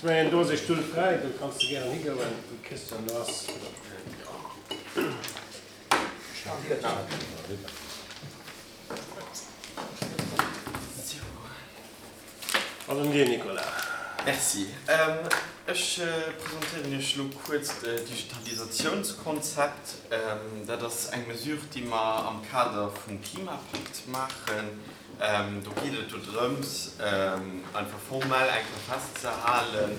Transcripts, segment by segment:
Ech mengen, do ass ee Stull fräi, do kanns de gären higoen, de Christian do ass. An un dir, Nicolas. Merci. Ech presentéieren Iech elo kuerz d'Digitalisatiounskonzept. Dat ass eng Mesure, déi mer am Kader vum Klimapakt maachen. Do geet et dodrëms, einfach formell eng Kéier festzehalen,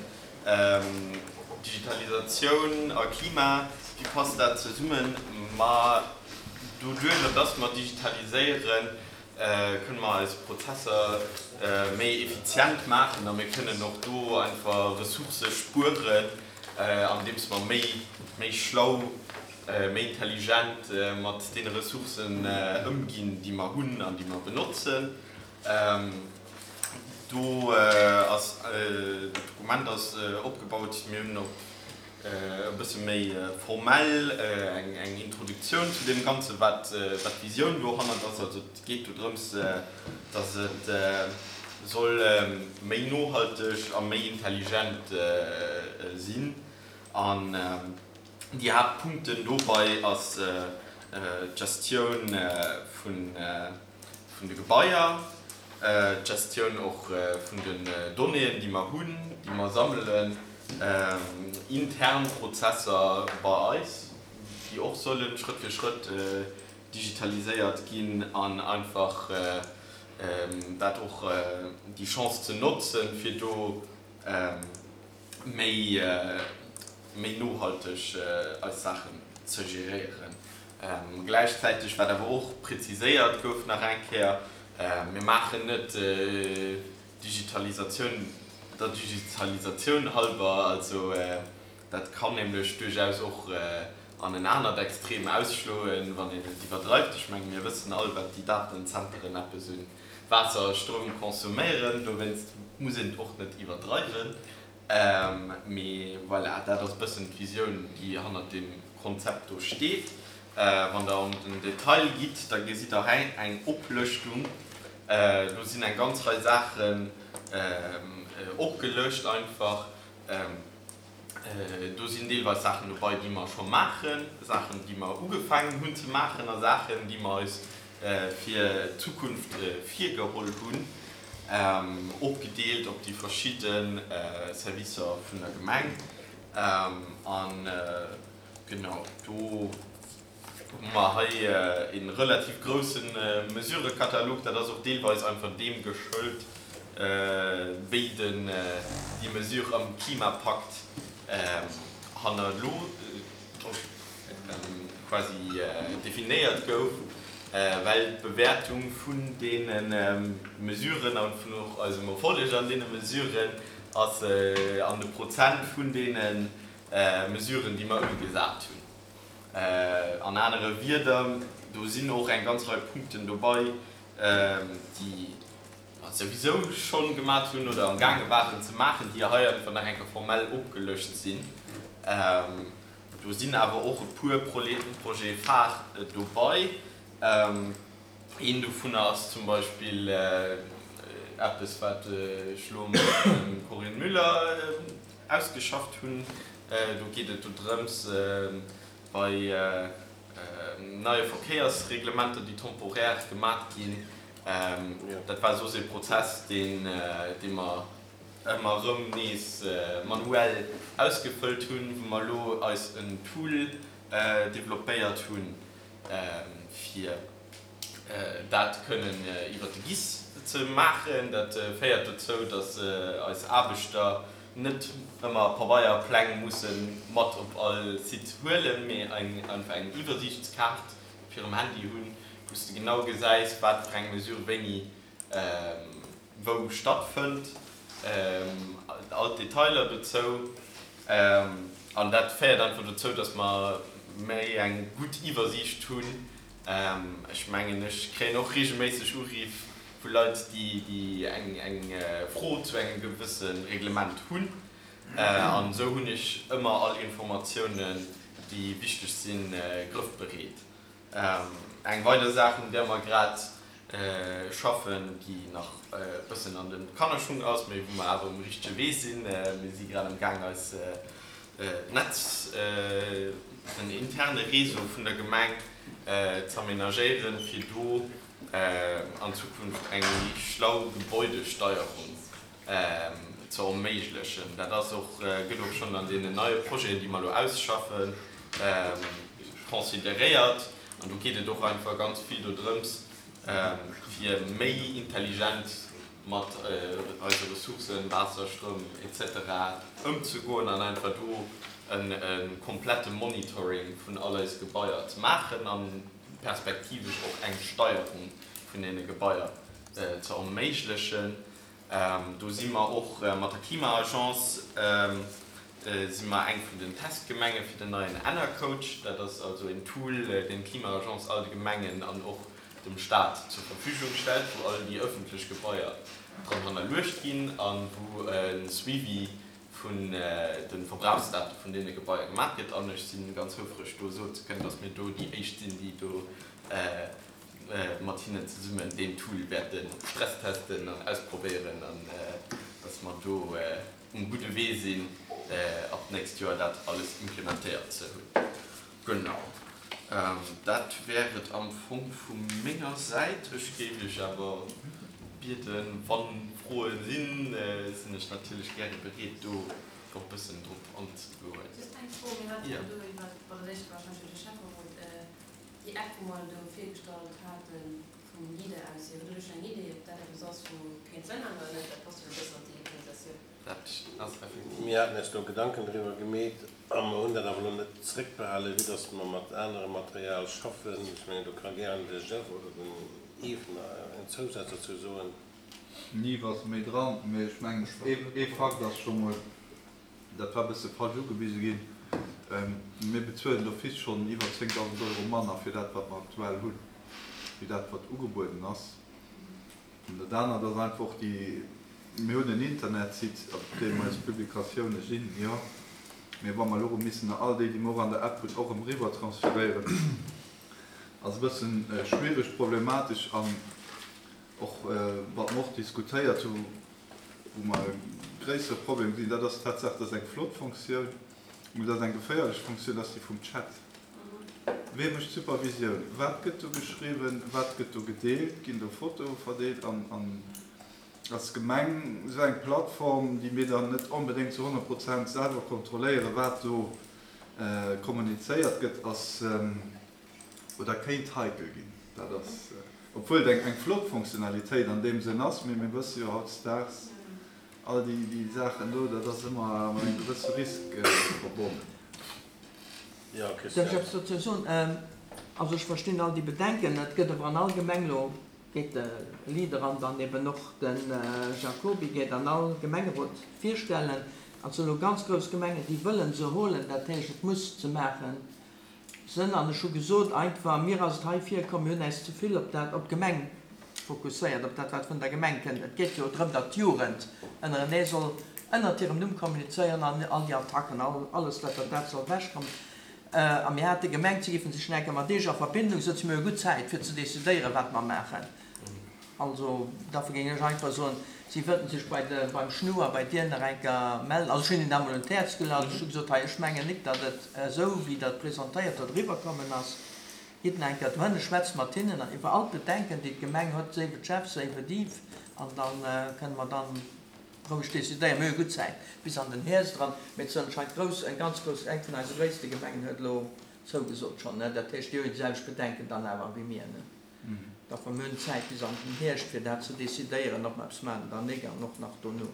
Digitalisatioun a Klima, wéi passt dat zesummen? Ma doduerjer, dass mer digitaliséieren, kënne mer eis Prozesser méi effizient maachen a mir kënnen och do einfach Ressourcë spueren, andeems mer méi, méi schlau, méi intelligent mat deene Ressourcen ëmginn, déi mer hunn an déi mer benotzen. Do ass, dat Dokument ass opgebaut, mir hunn op e bësse méi formell eng Introduktioun zu deem Ganzen, wat d'Visioun dohannert ass. Also et geet do drëms, datt et soll méi nohalteg a méi intelligent sinn. An déi Haaptpunkten dobei ass d'Gestioun vun vun de Gebaier, d'Gestioun och vun den Donnéeën, déi mer hunn, déi mer sammelen, intern Prozesser bei eis, déi och solle Schrëtt fir Schrëtt digitaliséiert ginn an einfach dat och déi Chance ze notzen, fir do méi méi nohalteg eis Saachen ze geréieren. Gläichzäiteg, wat awer och präziséiert gouf nach eng Kéier, Mir maachen net Digitalisatioun der Digitalisatioun halber. Also dat kann nämlech duerchaus och an en anert Extrem ausschloen, wann een et iwwerdreift. Ech menge mir wëssen all, wat déi Datenzenteren eppes un Waasser a Stroum consomméieren. Dowéinst muss een et och net iwwerdreiwen. Mee voilà, dat ass e bëssen d'Visioun, déi hannert deem Konzept do steet. Wann Der an den Detail gitt, da gesitt Der hei eng Oplëschtung. Do sinn eng ganz Rei Saachen opgelëscht einfach. Do sinn deelweis Saachen dobei, déi mer scho maachen, Saachen, déi mer ugefaangen hunn ze maachen a Saachen, déi mer eis fir d'Zukunft virgeholl hunn, opgedeelt op déi verschidde Servicer vun der Gemeng. A genau do hu mer hei e relativ grousse Mesurëkatalog. Dat ass och deelweis einfach deem geschëlt, wéi den déi Mesure am Klimapakt hannerlo quasi definéiert gouf, well d'Bewäertung vun deene Mesuren a vun och eisem Erfolleg an deene Mesuren ass an de Prozent vun deene Mesuren, déi mer ëmgesat hunn. An anere Wierder, do sinn och eng ganz Rei Punkten dobei, déi mer souwisou scho gemat hunn oder am gaange waren ze maachen, déi hei einfach nach eng Kéier formell opgelëscht sinn. Do sinn awer och e puer Projets phares dobei. Een dovunner ass zum Beispill eppes, wat ech elo mat dem Corinne Müller ausgeschafft hunn. Do geet et dodrëms, bei neie Verkéiersreglementer, déi temporär gemat ginn, dat war soss ee Prozess, dee mer ëmmer erëm nees manuell ausgefëllt hunn, wou mer elo eis en Tool developpéiert hunn, fir dat kënnen iwwer de GIS ze maachen. Dat féiert dozou, datt eis Aarbechter net ëmmer Pabeierpläng musse mat op all Site huelen, mee einfach eng Iwwersiichtskaart op hirem Handy hunn, wou s de genau gesäis, wat fir eng Mesure wéini wou stattfënnt, all d'Detailer dozou. An dat féiert einfach dozou, dass mer méi eng gutt Iwwersiicht hunn. Ech mengen, ech kréien och reegelméisseg Uriff vu Leit, déi eng Fro zu engem gewësse Reglement hunn. An esou hunn ech ëmmer all Informatiounen, déi wichteg sinn, grëffbereet. Eng weider Saach, un där mer grad. Schaffen, déi nach e bëssen an de Kannerschung ass, mee wou mer awer um richtege Wee sinn. Mir si grad am Gaang eis d'Netz, den interne Réseau vun der Gemeng z'aménagéieren, fir do an Zukunft eng méi schlau Gebäudesteierung ze erméiglechen. Dat ass och, gëtt och schonn an deenen neie Projeten, déi mer elo ausschaffen, consideréiert. An do geet et och einfach ganz vill dodrëms, fir méi intelligent mat eise Ressourcen, Waasser, Stroum, etc. Ëmzegoen an einfach do e komplette Monitoring vun all eise Gebaier ze maachen a perspektivesch och eng Steierung vun deene Gebaier ze erméiglechen. Do si mer och mat der Klima-Agence si mer eng vun den Testgemenge fir den neien Enercoach. Dat ass also een Tool, deen d'Klima-Agence all de Gemengen an och dem Staat zur Verfügung stellt, wou all déi ëffentlech Gebaier dran hannerluecht ginn a wou e Suivi vun de Verbrauchsdate vun deene Gebaier gemaach gëtt. An ech si ganz houfreg do soen ze kënnen, datt mir do déi éischt sinn, déi do mat hinnen zesummen deen Tool wäerte stresstesten an ausprobéieren an dass mer do um gudde Wee sinn, ab d'nächst Joer dat alles implementéiert ze hunn. Genau, dat wär et am Fong vu menger Säit. Ech géif Iech awer bieden, wa Froe sinn, sinn ech natierlech gäre bereet, do och e bëssen drop anzegoen. Just eng Fro, Mir haten jo do iwwer, bon, dat éischt war warscheinlech fir de Schäfferot, Déi App, wou mer do virgestallt haten, vum Leader aus hier, hutt Der do schonn eng Idee, ob dat eppes ass, wou kéint Sënn maachen oder net? Dat passt jo e bëssen an d'Digitalisatioun. Dat ass effektiv. Mir haten eis do Gedanken driwwer gemeet a mer hunn dat awer elo net zréckbehalen, vue dass mer mat anerem Material schaffen. Ech mengen, do ka gären de Jeff oder den Yves nach en Zousaz dozou soen. Den Yves ass méi dran, mee ech mengen, ee Fakt ass scho mol, Dat war e bësse falsch ugewise ginn. Mir bezuelen d'office schonn iwwer 10.000 Euro manner fir dat, wat mer aktuell hunn, wéi dat, wat ugebueden ass. An dat anert ass einfach och déi, mir hunn en Internetsite, op deem eis Publikatioune sinn, jo, mee wa mer elo erëm missen all déi, déi mer och an der App hunn, och erëm eriwwer transferéieren, ass e bëssen schwiereg, problematesch an och, wat mer och diskutéiert hu Wou mer e gréissere Problem gesinn, dat ass d'Tatsaach, dat ass eng flott Fonctioun, mee dat ass eng geféierlech Fonctioun, dat ass déi vum Chat. Wee mécht d'Supervisioun? Wat gëtt do geschriwwen? Wat gëtt do gedeelt? Ginn do Fotoe verdeelt? An als Gemeng esou eng Plattform, déi mir dann net onbedéngt zu 100 Prozent selwer kontrolléieren, wat do kommunizéiert gëtt, ass, oder kéint heikel ginn. Dat ass, obwuel et eng flott Fonctionnalitéit an deem Sënn ass, mee mir wësse jo hautdesdaags, all déi Saachen do, dat ass ëmmer mat engem gewësse Risk verbonnen. Jo, Darf ech Christian. eppes dozou soen? Also ech verstinn all déi Bedenken. Et gëtt awer an all Gemeng elo, geet de Leader an dann eben och de Jacoby geet an all Gemengerot virstellen. An et sinn elo ganz grouss Gemengen, déi wëllen se holen. Dat heescht, et muss ze maachen Sënn an ech hu gesot einfach, mir ass et hei virkomm, mir hunn äis ze vill op dat, op d'Gemeng fokusséiert, op dat wat vun der Gemeng kënnt. Et geet jo drëm, datt d'Jugend ënnerenee soll ënnert hirem Numm kommunizéieren an all déi Attacken, all, alles wat dat, dat soll ewechkommen. A mir hate gemengt, si géife sech nach eng Kéier mat Iech a Verbindung sëtzen. Mir hu gutt Zäit fir ze decidéieren, wat mer maachen. Also, dofir géing ech einfach soen, si wëllten sech bei de, beim Schnu a bei dir nach eng Kéier mellen. Also ech hunn hinnen dat emol un d'Häerz geluecht. Ech hu gesot, hei, ech mengen nik, datt et esou, wéi Der et presentéiert hutt, eriwwerkommen ass. Gitt nach eng Kéier dohinne, schwätzt mat hinnen iwwer all d'Bedenken, déi d'Gemeng huet, séif et Jeff, séif et Yves, an da kënne mer dann roueg decidéieren. Mir hu gutt Zäit bis an den Hierscht eran, mee et sinn anscheinend grouss, eng ganz grouss, eng vun eise gréisste Gemengen huet elo zougesot schonn, ne. Dat heescht, déi hu jo déi selwecht Bedenken dann awer wéi mir, ne. D'affer mir hunn Zäit bis an den Hierscht fir dat ze decidéieren, ob mer eppes maachen oder nik, an och nach dono.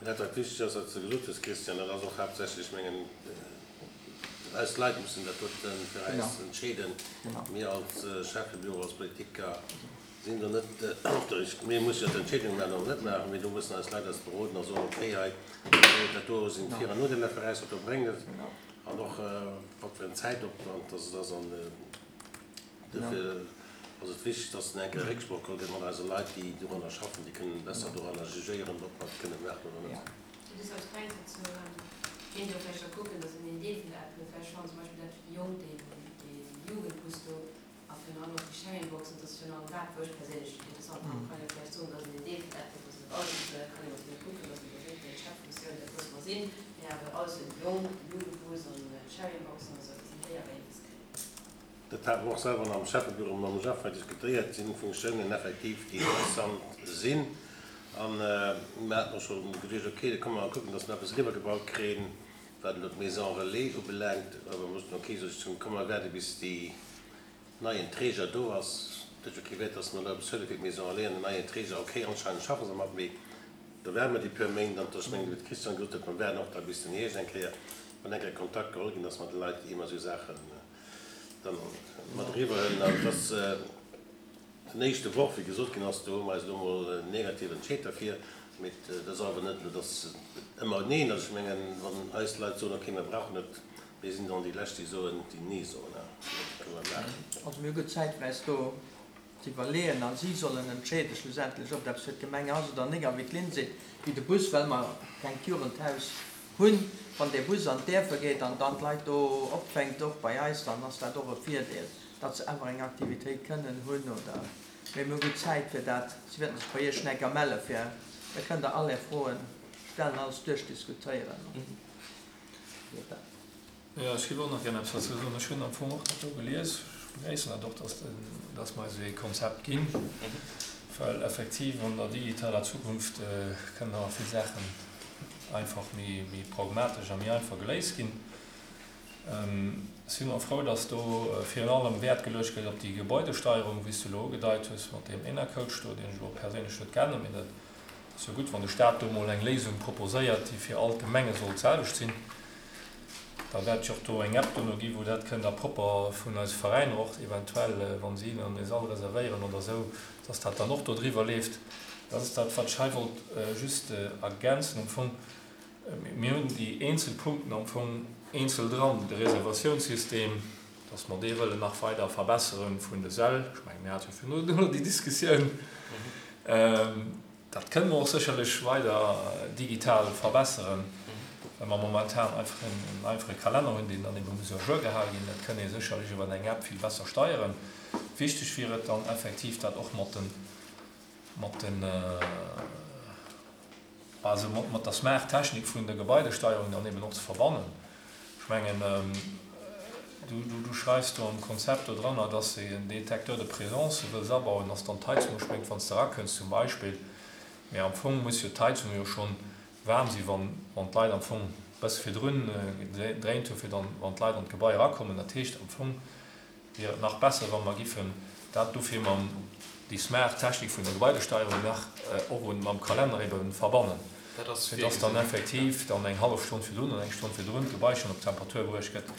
Dat wat wichteg ass, wat s de gesot hues, Christian, dat ass och haaptsächlech, mengen, eis Leit mussen dat doten fir eis entscheeden. Mir als Schäffebüro, als Politiker sinn do net op der, mir musse jo d'Entscheedung maachen oder net maachen, mee do mussen eis Leit eis beroden a soen, okay, hei dat do sinn d'Vir an Nodeeler fir eis, wat do bréngt et an och wat fir en Zäitopwand dass et ass an. Dofir ass et wichteg, dass en enke Récksproch geholl gëtt mat eise Leit, déi doranner schaffen. Déi kënnen besser doranner jugéieren, ob mer et kënne maachen oder net. Just als klengt dozou, Kéint Dir och vläicht da kucken, dass een een Deel vun der App huet, well ech fannen zum Beispill dat fir déi Jonk, dee Jugendbus do. A virun allem och déi Sharing-Boxen, dat ass virun allem dat, wou ech perséinlech interessant fannen. Kann jo vläicht soen, dass een en Deel vun dat, dass net alles, kann een natierlech kucken, dass een do wierklech eng Cheffunktioun, dat loosse mer sinn, mee awer alles un Jong, Jugendbus an Sharing-Boxen a sou, dass een déi awer eens kritt. Dat hate mer och selwer am Schäffebüro mam Jeff hei diskutéiert. Et sinn Funktiounen effektiv, déi interessant sinn. A mir haten och scho geduecht, okay, da komme mer kucken, dass mer eppes eriwwergebaut kréien, wat elo d'Maison relais ubelaangt. Awer mer soten, okay, sot ech zum, komm mer waarde bis déi neien Träger do ass. Et huet jo kee Wäert, dass mer elo eppes huele fir d'Maison relais an den neien Träger. Okay, anscheinend schaffe se mat, mee da waarde mer déi puer Méint. An ech mengen, wéi de Christian gesot huet, mer waarden och da bis den Hierscht eng Kéier, wann eng Kéier Kontakt geholl ginn ass mat de Leit, ier mer esou Saachen dann mat eriwwer huelen. An et ass den éischte Worf, wéi gesot ginn ass, do hu mer eis elo emol negativ entscheet derfir. Mee et ass awer net elo, dass et ëmmer Neen ass. Ech mengen, wann eis Leit soen, okay, mir brauchen et, mir sinn dann déi Lescht, déi soen, déi Nee soen. Dat kënne mer maachen. Also mir hu gutt Zäit fir eis do ze iwwerleeën a si sollen entscheeden schlussendlech, ob et eppes fir d'Gemeng ass oder nik. A wéi d'Lynn seet, wéi de Bus, well mer keng Jugendhaus hunn, wann dee Bus an d'Däerfer geet an dann d'Leit do opfänkt, och bei eis, dann ass dat och e Virdeel, datt se awer eng Aktivitéit kënnen hunn oder. Mee mir hu gutt Zäit fir dat. Si wäerten sech bei Iech enker melle fir, da kënnt Der all Är Froen stellen, alles duerchdiskutéieren. Jo, ech géif och nach gär eppes dozou soen. Ech hunn am Fong och dat do gelies. Ech begréissen dat och, dass, dass mer eis esou ee Konzept ginn, well effektiv an der digitaler Zukunft kënnen awer vill Saachen einfach méi, méi pragmatesch a méi einfach geléist ginn. Ech sinn och frou, dass do virun allem Wäert geluecht gëtt op déi Gebäudesteierung, wéi s du elo ugedeit hues mat deem Enercoach do, deen ech elo perséinlech net kennen, mee dat ass jo gutt, wann de Stat do emol eng Léisung proposéiert, déi fir all d'Gemenge soll d'selwecht sinn. Da wäert et jo och do eng App dono ginn, wou dat kënnt a propper vun eise Veräiner och eventuell, wa si dann e Sall reservéieren oder esou, dass dat dann och do driwwer leeft. Dat ass dat, wat ech hei wollt just ergänzen am Fong. Mir hunn déi eenzel Punkten am Fong eenzel dran, de Reservatiounssystem, dass mer dee wëllen nach weider verbessere vun de Säll. Ech mengen, mir hate jo virun elo déi Diskussioun. Dat kënne mer och sécherlech weider digital verbesseren, well mer momentan einfach en einfache Kalenner hunn, deen dann ebe muss à jour gehale ginn. Dat kënn ee sécherlech iwwer eng App vill besser steieren. Wichteg wier et dann effektiv, dat och mat den, mat den, also mat der smart Technik vun der Gebaidesteierung dann eben och ze verbannen. Ech mengen, du schreifs do am Konzept do dranner, dass de en Détecteur de présence wëlls abauen, dass dann d'Heizung uspréngt, wann s de erakënns zum Beispill. Mee am Fong muss jo d'Heizung jo schonn waarm sinn, wann d'Leit am Fong e bësse virdrun gedréint hunn, fir dann, wann d'Leit an d'Gebai erakommen. Dat heescht am Fong, wier et nach besser, wa mer giffen dat dofir mam, déi smart Technik vun der Gebaidesteierung nach och un mam Kalenner ebe verbannen, fir dass dann effektiv dann eng hallef Stonn virdrun oder eng Stonn virdrun d'Gebai schonn op Temperatur bruecht gëtt.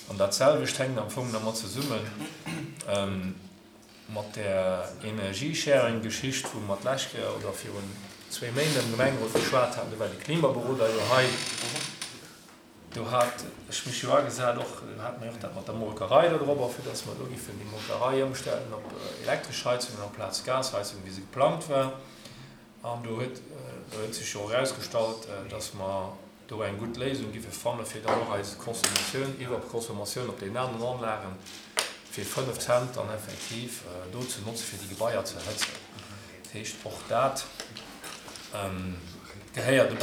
An dat selwecht hänkt am Fong dermat zesummen, mat där Energiesharing-Geschicht, wou mer d'lescht Kéier oder virun zwéi Méint am Gemengerot geschwat haten. Do war de Klimaberoder jo hei. Do hat ech mech jo agesat, och do hate mer jo och dat mat der Molkerei do drop, fir dass mer do giffen déi Molkerei ëmstellen op elektresch Heizungen amplaz Gasheizungen, wéi se geplangt war. An do huet, do huet sech jo och erausgestallt, dass mer do eng gutt Léisung giffe fanne fir dann och eis Consommatioun, Iwwerconsommatioun op deenen aneren Anlagen fir 5 Cent dann effektiv do ze notze fir déi Gebaier ze erhëtzen. Dat heescht, och dat gehéiert e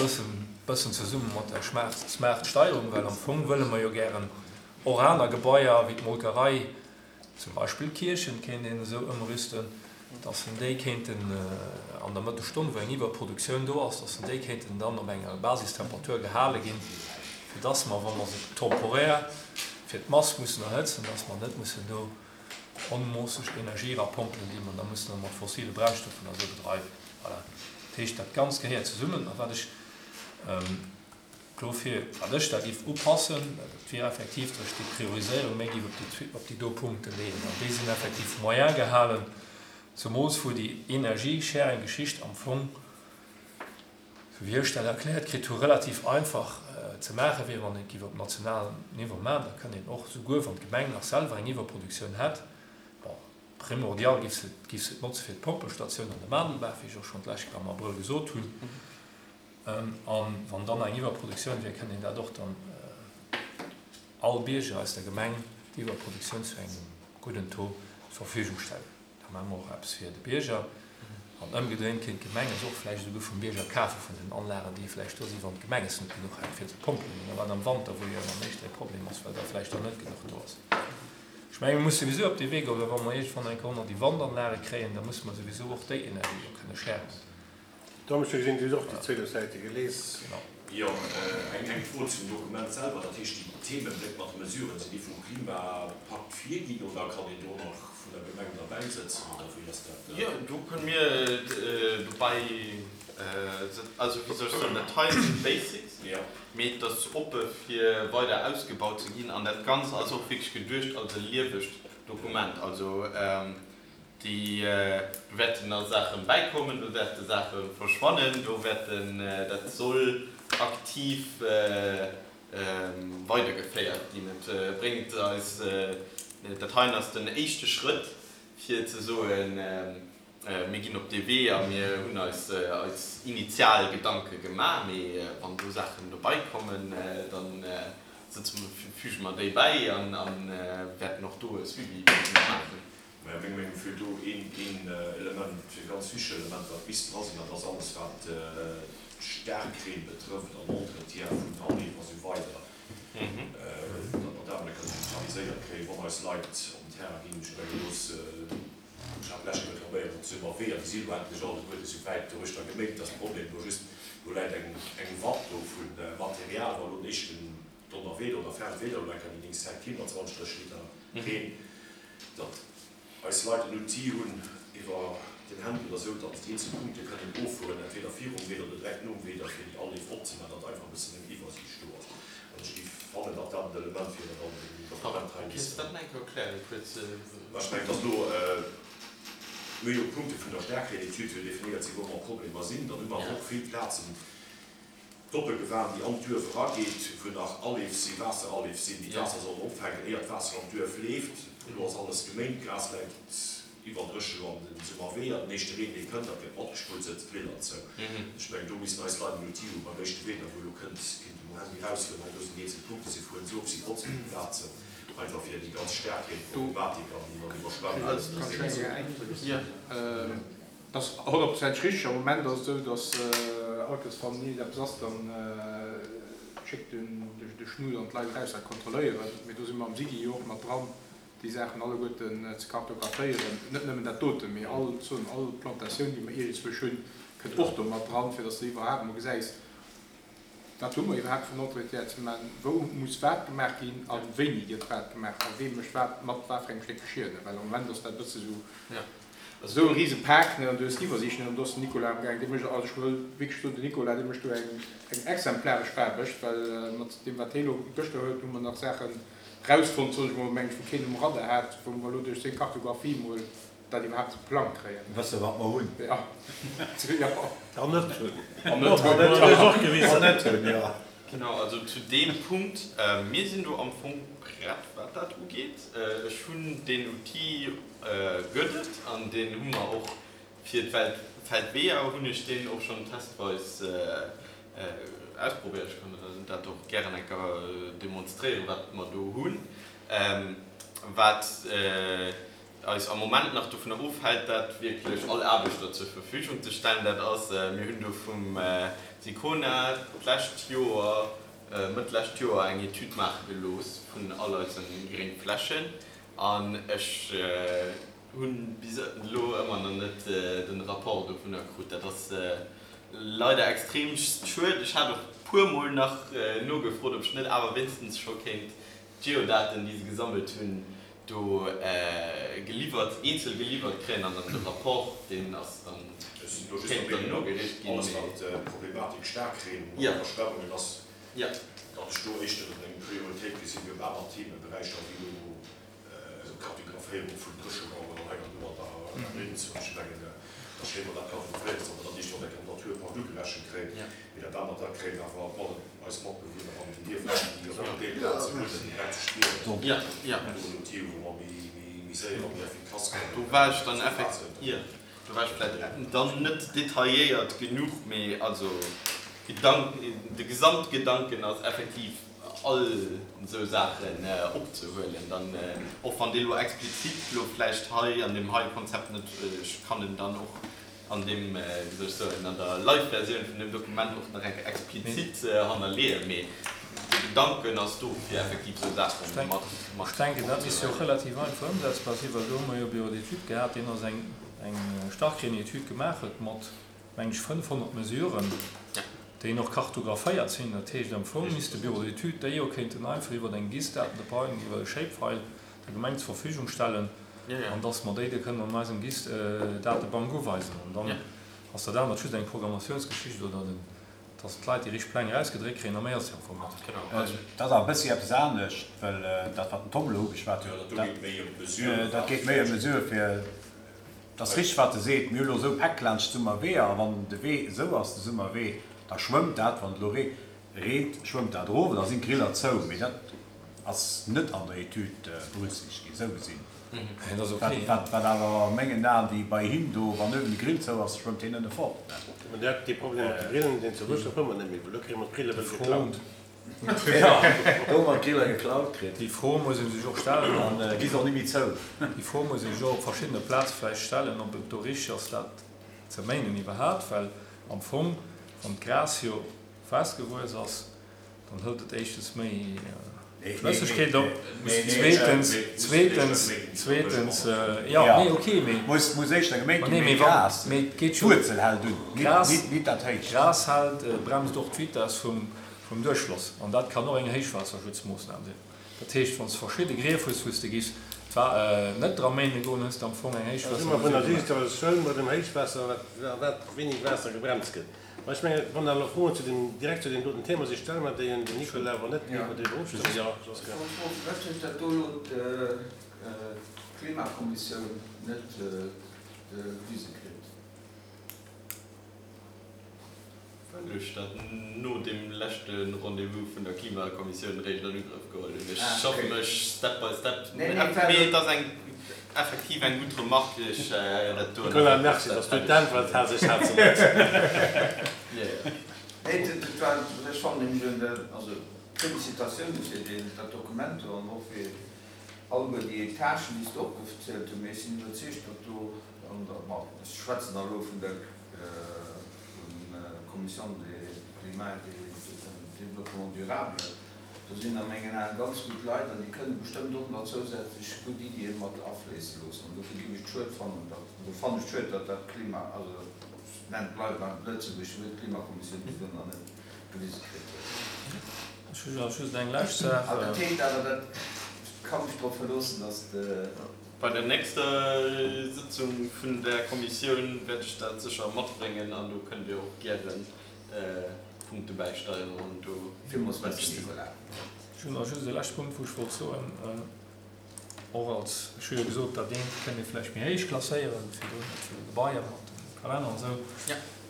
bëssen zesumme mat der smart Steierung, well am Fong wëlle mer jo gären och aner Gebaier wéi d'Molkerei, zum Beispill d'Kierchen kéint een esou ëmrüsten, dass en déi kéinten an der Mëttesstonn, wou eng Iwwerproduktioun do ass, dass en déi kéinten dann op enger Basistemperatur gehale ginn, fir dass mer, wa mer se temporär fir d'Mass mussen erhëtzen, dass mer net mussen do onmoosseg Energie erapompelen, déi mer da mussen mat fossile Brennstoffen a sou bedreiwen. Voilà. Dat heescht, dat Ganzt gehéiert zesummen. A wat ech dofir, wat ech da géif upassen, dat wier effektiv, datt ech déi Prioriséierung méi géif op déi, op déi do Punkte leeën. An déi sinn effektiv moyen gehalen, zemools wou déi Energiesharing-Geschicht am Fong, Sou wéi ech dat erkläert kritt hu, relativ einfach ze maache wier, wann een et géif op nationalem Niveau maachen. Da kënnt een och, souguer wann d'Gemeng nach selwer eng Iwwerproduktioun hätt, bon, primordial géif se, géif se et notze fir d'Pompelstatioun an de Maandelbaach, wéi ech och schonn d'lescht Kéier am Abrëll gesot hunn. A wann dann eng Iwwerproduktioun wier, kënnt een dat och dann all Bierger aus der Gemeng déi Iwwerproduktioun zu engem gudden Taux. Verfügung stellen. Da maache mer och eppes fir de Bierger. An ëmgedréint kéint d'Gemeng es och vläicht esouguer vum Bierger kafe vun den Anlagen, déi vläicht do sinn, wann d'Gemeng es net genuch hätt fir ze pompelen. Oder wat am Wanter, wou jo ëmmer meeschter e Problem ass, well da vläicht der net genuch do ass. Ech menge mir musse souwisou op dee Wee goen, well wa mer iergendwann eng Kéier och nach déi Wandanlage kréien, da musse mer souwisou och déi Energie do kënne sharen. Tom, ech hu gesinn, du hues och déi 12 Säite gelies. Jo, eng Fro zum Dokument selwer. Dat heescht, déi Themenbléck mat de Mesuren, sinn déi vum Klimapakt virginn oder kann een do nach vun der Gemeng derbäi sëtzen oder wéi ass dat? Jo, do kënne mir dobäi sëtzen. Also, wéi soll ech soen, dat hei sinn d'Basics, mee et ass oppe fir weider ausgebaut ze ginn an dat Ganzt ass och wierklech geduecht als e liewegt Dokument. Also, Déi, do wäerten nach Saache bäikommen, do wäerte Saache verschwannen, do wäerten, dat soll aktiv weidergeféiert ginn. Et bréngt eis, dat heien ass den éischte Schrëtt, fir ze soen, mir ginn op dee Wee a mir hunn eis eis initial Gedanke gemaach. Mee wann do Saachen dobäikommen, da sëtze mer, füge mer déi bäi a wäerten och do e Suivi maachen. Mä meng Meenung feelt do een Element, e ganz wichteg Element, wat misst dra sinn, dat ass alles, wat d'Staarkreen betrëfft an Entretien vun Anleef a sou weider, datt mer dat emol kënnen digitaliséiert kréien, wann eis Leit op den Terrain ginn. Ech mengen, do ass, ech hat d'lescht Joer reklaméiert, datt se ëmmer Weeër, déi si elo endlech alleguerte sou wäit doruechter geméint, dass de Problem elo just, do läit eng Watt do vu Material, wa elo den éischten Donnerweeder oder fermt Wieder elo eng Kéier déi nächst Zäit keen mat 20, 30 Liter Reen, datt eis Leit en Outil hunn iwwer den Handy oder esou, datt se déi eenzel Punkte kënnen offueren, entweder virum Wieder oder direkt nom Wieder, fir déi Aleef opzemaachen, datt einfach e bëssen eng Iwwersiicht do ass. An ech géif fannen, datt dat en Element wier, dat an deem Dokument hei misst. Kéints de dat nach eng Kéier erklären, kuerz? Mä ech mengen, datt elo, mir hu jo d'Punkte vun der Staarkreenetüd, wou definéiert sinn, wou mer Problemer sinn. Dann hu mer awer och vill Plazen, D'Doppelgewan, déi an d'Duerf erageet, wou nach Aleef sinn, Waasseraleef sinn, déi d'Waasser sollen opfänken, éier d'Waasser an d'Duerf leeft. Elo ass alles geméint, d'Gras läit iwwerdréche lo an den Summerweeër. Den éischte Reen, dee kënnt, dat gëtt matgespullt, sëtzt d'Riller zou. Ech mengen, do missten eis Leit en Outil hu beim éischte Wieder, wou elo kënnt, kéint de um Handy eraushuelen, hei do sinn déi eenzel Punkte, si fueren se of, si botzen déi Plazen, einfach fir déi ganz Staarkreenproblematik an déi Iwwerschwemmungen ze. Dat ass honnertprozenteg richteg. Am Moment ass et esou, datt all Kéiers wann iergendeppes ass, da schéckt de Schnut an d'Leit eraus dat kontrolléieren. Mee do si mer am SIGI jo och mat dran, déi Saachen alleguerten ze kartographéieren. Net nëmmen dat doten, mee all, soen, all Plantatioun, déi mer iergendzwousch hunn, kënnt och do mat dran, fir datt s de iwwerhaapt emol gesäis, Wat hu mer iwwerhaapt vun Entretien ze maachen? Wou muss wat gemaach ginn a wéini gëtt wat gemaach a wee mécht wat mat wat fir engem Stéck Geschier? Well am Moment ass dat e bësse sou, esou e rise Pak, ne, an du hues d'Iwwersiicht net. An do ass den Nicolas amgaangen, dee mécht, also ech wëll wierklech soen, den Nicolas, dee mécht do eng, eng exemplaresch Aarbecht, well mat deem wat hee elo gëschter huet, hu mer nach Saachen rausfonnt, soen ech mol, meng ech, wou keen um Radar hat, wou mer elo duerch seng Kartographie mol dat iwwerhaapt op de Plang kréien. Wësse wat mer hunn. Jo. Jo. An net hunn. An net hunn. Dat huet och gewisen. An net hunn, jo. Genau, also zu deem Punkt, mir sinn do am Fong prett, wat dat ugeet. Ech hunn deen Outil gëtt et an deen hu mer och fir d'Feldweeër hunn ech deen och schonn testweis ausprobéiert. Ech kann dat och gären eng Kéier demonstréieren, wat mer do hunn. Wat eis am Moment nach dovunner ofhält, dat wierklech all Aarbechter zur Verfügung ze stellen, dat ass, mir hunn do vum Sicona d'lescht Joer, Mëtt d'lescht Joer eng Etüd maache gelooss vun all eise Gréngflächen an ech hu bis elo ëmmer nach net de Rapport dovunner krut. Dat ass leider extrem schued. Ech hat och puermol nach nogefrot, ob ech net awer wéinstens scho kéint d'Geodaten, déi se gesammelt hunn, do geliwwert, eenzel geliwwert kréien an dann de Rapport, deen ass dann, Ech sinn do just kéint der dann Meenung, nogereecht ginn, alles mee. wat d'Problematik Staarkreen an Iwwerschwemmungen ass, datt ech do éischter eng Prioritéit gesinn wéi op aner Themeberäicher, wéi elo Kartographéierung vun Dréchemaueren an hei an do an der Grenz. Ech mengen, da schéi mer dat kartographéiert ass, datt mer dat éischter an der Naturpark ugerechent kréien, mee dat anert, dat kréien awer op alle. Eis Matbewunner an den Dierfer, déi op der Plaz wunnen, direkt ze spieren. An do en Outil, wou mer méi séier a méi effikass kënnen Do war ech dann effektiv, jo, do war ech vläicht dann net detailléiert genuch, mee also Gedanken, de Gesamtgedanken ass effektiv. all esou Saachen opzehuelen. Dann, och wann dee lo explizit lo vläicht hei an deem heie Konzept net, ech kann en dann och an deem, wéi soll ech soen, an der Live-Versioun vun deem Dokument och nach eng Kéier explizit hannerleeën, mee de Gedanken ass do, fir effektiv esou Saache mat Ech denken, dat misst jo och relativ einfach ëmsetzbar sinn, well do hu mer jo e Bureau d'études gehat, deen ons eng Starkreen-Etüd gemaach huet mat, meng ech, 500 Mesuren, déi och kartographéiert sinn. Dat heescht, am Fong misst de Bureau d'études déi jo kéinten einfach iwwer eng GIS-Datenbank, iwwer e Shapefile der Gemeng zur Verfügung stellen, an dass mer déi da kënnen an eisem GIS-Datebank uweisen. An dann ass dat anert just eng Programmatiounsgeschicht oder den, dass d'Leit déi richteg Pläng erausgedréckt kréien, a méi ass et jo am Fong net. Dat ass awer e bëssi eppes anescht, well dat, wat den Tom elo ugeschwat huet, dat geet méi ëm Mesure fir, et ass richteg, wat e seet, mir hu elo esou Päck laanscht d'Summerweeër, a wann de Wee esou ass, de Summerwee, da schwëmmt dat, wann et elo reent, schwëmmt dat erof, da sinn d'Griller zou. Mee dat ass net an der Etüd berücksichtegt ginn, esou gesinn. Wat awer a mengen Aen, déi bei him do, wann uewen de Grill zou ass, schwëmmt hien ënne fort. Mä dat, dee Problem mat de Grillen, deen zu Wuessdorf hu mer net méi, well do kréie mer d'Grille wëll geklaut. Jo, do hu mer d'Griller geklaut kritt. Déi Fro muss ee sech och stellen. An gi se och net méi zou. Déi Fro muss ee sech och op verschiddene Plaze vläicht stellen, ob et do richteg ass, dat ze méinen iwwerhaapt. Well am Fong, wann d'Gras jo festgewuess ass, Dann hëlt et éischtens méi Flëssegkeet op, zweetens, zweetens, zweetens, jo, nee, ok, mee. Muss, muss éischter geméint ginn, mee Gras, d'Wuerzel hält un, nit dat Héicht. Gras hält, bremst och d'Vitess vum, vum Duerchfloss an dat kann och eng Héichwaasserschutzmoossnam sinn. Dat heescht, wann s de verschidde Grief hues, wou s de giffs d'Wa net dra méine goen, hues de am Fong eng Da si mer vun der Héichwaassermesure gemaach. Digitalisatioun bei dem Héichwaasser, wat, wat wéini Waasser gebremst gëtt. Mä ech mengen, wann da elo Froen zu deem, direkt zu deem doten Thema sinn, stelle mer déi un den Nicolas, wann net, géife mer driwwer ofstëmmen. Jo, Josquin. Ech wollt froen, firwat huet dat do elo d'Klimakommissioun net gewise kritt? Well ech dat no deem leschte Rendez-vous vun der Klimakommissioun eréischt an Ugrëff geholl hunn. Ech schaffe mech step by step. Mee et ass eng Effektiv eng gutt Remarque, ech dat do. Nicolas, merci, dass du d'Äntwert has, ech hat se net. Nee, dat war, ech fannen nämlech un der, also Félicitatioune fir deen, dat Dokument do an och fir alleguer déi Etagen, déi s de opgezielt hues, mee ech sinn iwwerzeegt, datt do an der, ma ech schwätzen da elo vun der Commission des climat et développement durable, Do sinn a mengen Aen ganz gutt Leit an déi kënne bestëmmt och nach zousätzlech gutt Iddie mat afléisse loossen. An dofir géif ech et schued fannen, datt, oder fannen ech et schued, datt dat Klima, also ech nennen, bleiwe beim lëtzebuergesche Wuert, Klimakommissioun bis elo nach net gewise kritt huet. Ech hu nach just eng lescht Saach. An dat heescht awer, dat, ech ka mech drop verloossen, datt de. Bei der nächster Sëtzung vun där Kommissioun wäert ech dat sécher matbréngen an do kënnt Dir och gären Punkte bäisteieren an do. Villmools Merci, Nicolas. Ech hunn nach just e leschte Punkt, wou ech wollt soen, och als, ech hu jo gesot, dat eent kënnt ee vläicht méi héich klasséieren, virdrun dat vun de Gebaier mat dem Kalenner an esou,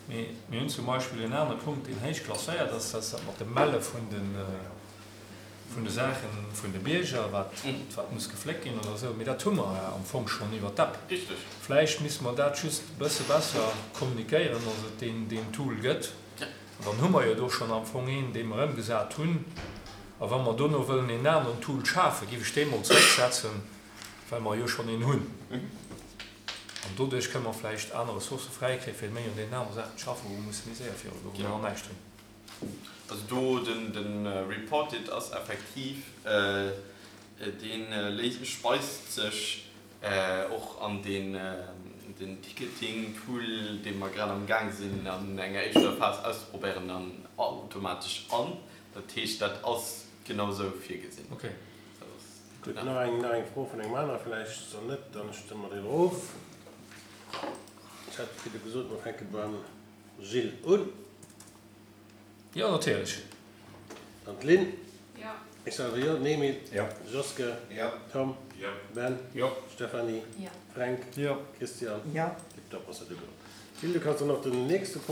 mee mir hunn zum Beispill en anere Punkt, deen héich klasséiert ass, dat ass dat mat dem Melle vun de, vun de Saache vun de Bierger, wat, wat muss gefléckt ginn oder esou. Mee dat hu mer am Fong schonn iwwer d'App. Vläicht misste mer dat just e bësse besser kommunikéieren, dass et deen, deen Tool gëtt. An dann hu mer jo do schonn am Fong een, dee mer ëmgesat hunn. A wa mer dono wëllen een aneren Tool schafen, géif ech dee mol zrécksetzen, well mer jo schonn een hunn. An doduerch kënne mer vläicht aner Ressourcë fräikréien, fir méi un deenen anere Saachen ze schaffen, wou mer musse méi séier virugoen, wou mer nach näischt hunn. Also do den Reportit ass effektiv, dee speist sech Och an den Ticketing-Tool, dee mer grad am Gaang sinn an enger éischter Phas auszeprobéieren, dann automatesch an. Dat heescht, dat ass genau sou virgesinn. Ok. Gutt, nach eng, nach eng Fro vun engem anere vläicht, soll net, dann stëmme mer driwwer of. Ech hat virdu gesot, mer fänke beim Gilles un. Jo, natierlech. Dann d'Lynn. Jo. Ech selwer jo. Den Emil. Jo. Joske. Jo. Tom. Jo. Ben. Jo. Stéphanie. Jo. Fränk. Jo. Christian. Jo. Tiptop, ass dat ugeholl. Gilles, du kanns dann och den nächste Punkt.